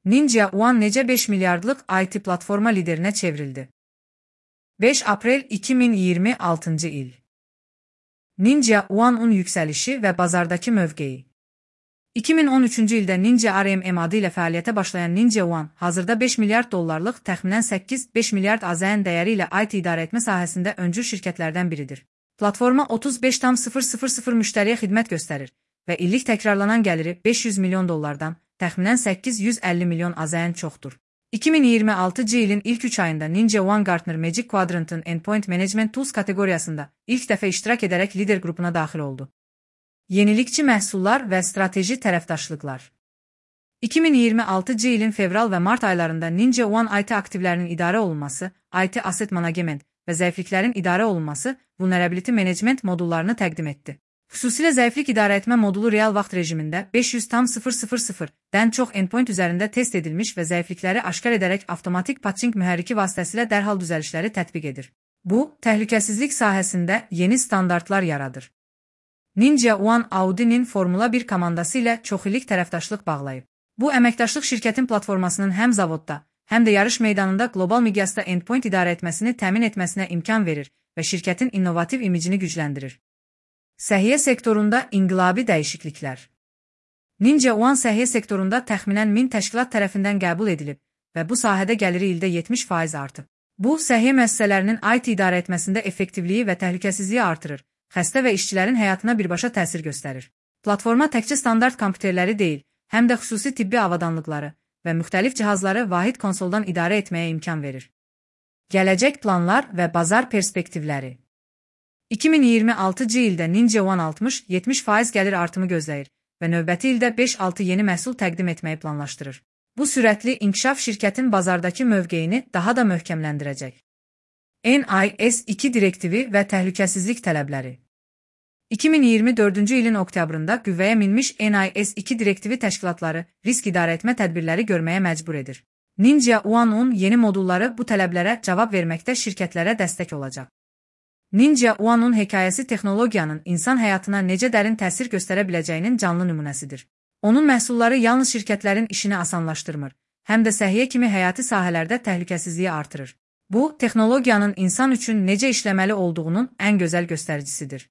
Ninja One necə 5 milyardlıq IT platforma liderinə çevrildi? 5 aprel 2026 il. Ninja One'un yüksəlişi və bazardakı mövqeyi. 2013-cü ildə Ninja RMM adı ilə fəaliyyətə başlayan Ninja One, hazırda 5 milyard dollarlıq, təxminən 8-5 milyard AZN dəyəri ilə IT idarəetmə sahəsində öncül şirkətlərdən biridir. Platforma 35,000 müştəriyə xidmət göstərir və illik təkrarlanan gəliri 500 milyon dollardan, təxminən 850 milyon AZN çoxdur. 2026-cı ilin ilk 3 ayında Ninja One Gartner Magic Quadrant'ın Endpoint Management Tools kateqoriyasında ilk dəfə iştirak edərək lider qrupuna daxil oldu. Yenilikçi məhsullar və strateji tərəfdaşlıqlar. 2026-cı ilin fevral və mart aylarında Ninja One IT aktivlərinin idarə olunması, IT Asset Management və zəifliklərin idarə olunması, Vulnerability Management modullarını təqdim etdi. Xüsusilə zəiflik idarəetmə modulu real vaxt rejimində 500,000-dən çox endpoint üzərində test edilmiş və zəiflikləri aşkar edərək avtomatik patching mühərriki vasitəsilə dərhal düzəlişləri tətbiq edir. Bu, təhlükəsizlik sahəsində yeni standartlar yaradır. Ninja One Audi'nin Formula 1 komandası ilə çoxillik tərəfdaşlıq bağlayıb. Bu əməkdaşlıq şirkətin platformasının həm zavodda, həm də yarış meydanında qlobal miqyasda endpoint idarəetməsini təmin etməsinə imkan verir və şirkətin innovativ imicini gücləndirir. Səhiyyə sektorunda inqilabi dəyişikliklər. Ninja One səhiyyə sektorunda təxminən 1000 təşkilat tərəfindən qəbul edilib və bu sahədə gəliri ildə 70% artıb. Bu, səhiyyə müəssisələrinin IT idarəetməsində effektivliyi və təhlükəsizliyi artırır, xəstə və işçilərin həyatına birbaşa təsir göstərir. Platforma təkcə standart kompüterləri deyil, həm də xüsusi tibbi avadanlıqları və müxtəlif cihazları vahid konsoldan idarə etməyə imkan verir. Gələcək planlar və bazar perspektivləri. 2026-cı ildə Ninja One 60-70% gəlir artımı gözləyir və növbəti ildə 5-6 yeni məhsul təqdim etməyi planlaşdırır. Bu sürətli inkişaf şirkətin bazardakı mövqeyini daha da möhkəmləndirəcək. NIS2 direktivi və təhlükəsizlik tələbləri. 2024-cü ilin oktyabrında qüvvəyə minmiş NIS2 direktivi təşkilatları risk idarəetmə tədbirləri görməyə məcbur edir. Ninja One'un yeni modulları bu tələblərə cavab verməkdə şirkətlərə dəstək olacaq. Ninja One'un hekayəsi texnologiyanın insan həyatına necə dərin təsir göstərə biləcəyinin canlı nümunəsidir. Onun məhsulları yalnız şirkətlərin işini asanlaşdırmır, həm də səhiyyə kimi həyati sahələrdə təhlükəsizliyi artırır. Bu, texnologiyanın insan üçün necə işləməli olduğunun ən gözəl göstəricisidir.